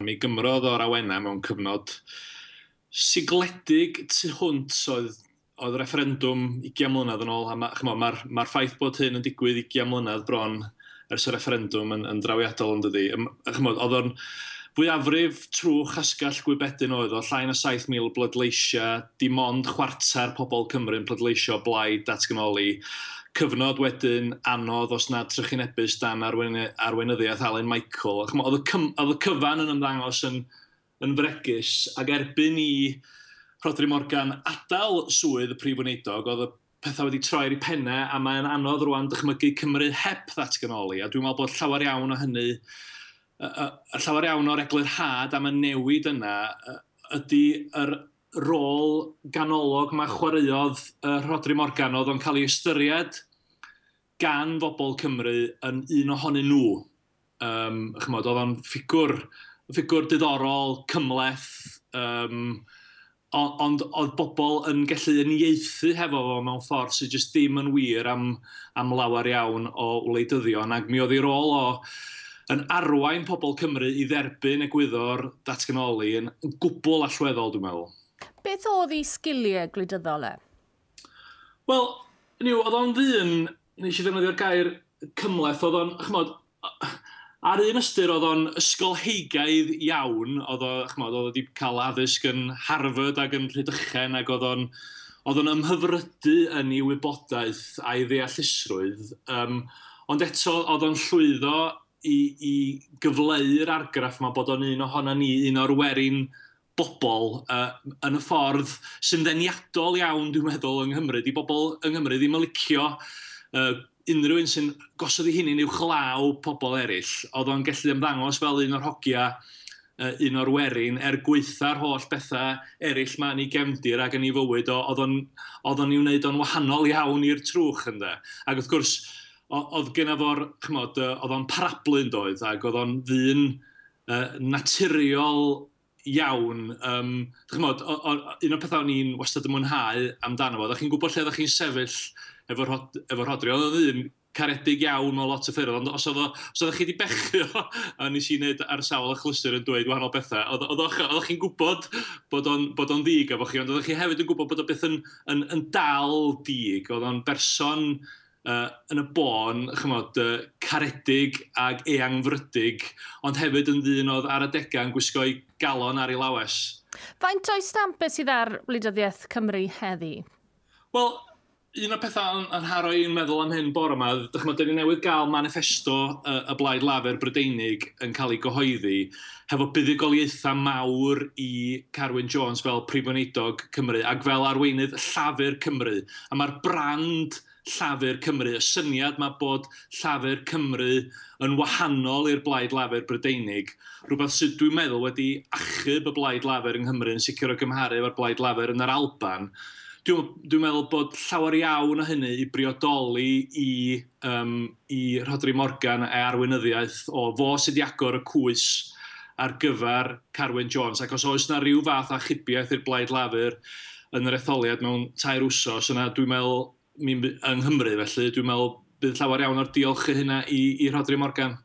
Mi gymrodd o'r awenau mewn cyfnod sigledig tu hwnt oedd referendwm 20 mlynedd yn ôl, a mae'r ma ffaith bod hyn yn digwydd 20 mlynedd bron ers y referendwm yn drawiadol, yn dydi. Chymod, oedd o'n fwyafrif trwch asgall gwybedyn oedd o, llai na 7,000 bleidleisiau, dim ond chwarter pobl Cymru'n pleidleisio blaid datganoli. Cyfnod wedyn anodd os nad trychinebus dan arweinyddiaeth Alun Michael. Chymod, oedd y cyfan yn ymddangos yn fregus, ac erbyn i Rhodri Morgan adael swydd y prif weinidog, oedd y pethau wedi troi ar eu pennau, a mae'n anodd rwan dychmygu Cymru heb ddatganoli. A dwi'n meddwl bod llawer iawn o hynny, llawer iawn o'r eglurhad am y newid yna ydy yr rôl ganolog mae chwaraeodd Rhodri Morgan. Oedd o'n cael ei ystyried gan bobl Cymru yn un ohonyn nhw. Chymod, oedd o'n ffigwr diddorol, cymhleth, ond oedd bobl yn gallu uniaethu hefo fo mewn ffordd sydd jyst ddim yn wir am lawer iawn o wleidyddion. Ac mi oedd ei rôl o yn arwain pobl Cymru i dderbyn egwyddor datganoli yn gwbl allweddol, dwi'n meddwl. Beth oedd ei sgiliau gwleidyddol e? Wel, niw, oedd o'n ddyn, nes i ddefnyddio'r gair cymhleth, oedd o'n, chymod, ar un ystyr oedd o'n ysgolheigaidd iawn, oedd o, chymod, oedd o wedi cael addysg yn Harvard ac yn Rhydychen, ac oedd o'n ymhyfrydu yn ei wybodaeth a'i ddeallusrwydd, ond eto oedd o'n llwyddo i gyfleu'r argraff yma bod o'n un ohono ni, un o'r werin bobl yn y ffordd sy'n ddeniadol iawn, dwi'n meddwl, yng Nghymru. Di bobl yng Nghymru ddim yn licio unrhyw un sy'n gosod ei hunain uwchlaw pobl eraill. Oedd o'n gallu ymddangos fel un o'r hogia, un o'r werin, er gweitha'r holl bethau eraill ma yn ei gefndir ac yn ei fywyd, oedd o'n i'w wneud o'n wahanol iawn i'r trwch, ynde. Ac wrth gwrs, oedd genna fo'r, chymod, oedd o'n parablu yn doedd, ac oedd o'n ddyn naturiol iawn. Chymod, un o'r pethau o'n i'n wastad yn mwynhau amdano fo, oeddech chi'n gwybod lle oeddech chi'n sefyll efo Rhodri. Oedd o'n ddyn caredig iawn mewn lot o ffyrdd, ond os oeddech chi wedi bechu o, a nes i wneud ar sawl achlysur yn dweud wahanol bethau, oedd chi'n gwybod bod o'n ddig efo chi, ond oeddech chi hefyd yn gwybod bod o beth yn dal dig. Oedd o'n berson yn y bôn, chymod, caredig ag eangfrydig, ond hefyd yn ddyn oedd ar adegau yn gwisgo'i galon ar ei lawes. Faint o'i stamp sydd ar wleidyddiaeth Cymru heddi? Wel, un o'r pethau yn nharo i'n meddwl am hyn bore yma, dychmod, dyn ni newydd gael manifesto y Blaid Lafur Brydeinig yn cael ei gyhoeddi hefo buddugoliaethau mawr i Carwyn Jones fel Prif Weinidog Cymru ac fel arweinydd Llafur Cymru. A mae'r brand Llafur Cymru, y syniad mae bod Llafur Cymru yn wahanol i'r Blaid Lafur Brydeinig, rhywbeth sydd dwi'n meddwl wedi achub y Blaid Lafur yng Nghymru yn sicr o gymharu efo'r Blaid Lafur yn yr Alban. Dwi'n meddwl bod llawer iawn o hynny i briodoli i Rhodri Morgan a'i arweinyddiaeth o fo sydd wedi agor y cwys ar gyfer Carwyn Jones. Ac os oes na rhyw fath o achubiaeth i'r Blaid Lafur yn yr etholiad mewn 3 wsos, yna dwi'n meddwl, yng Nghymru felly, dwi'n meddwl bydd llawer iawn o'r diolch i hynna i Rhodri Morgan.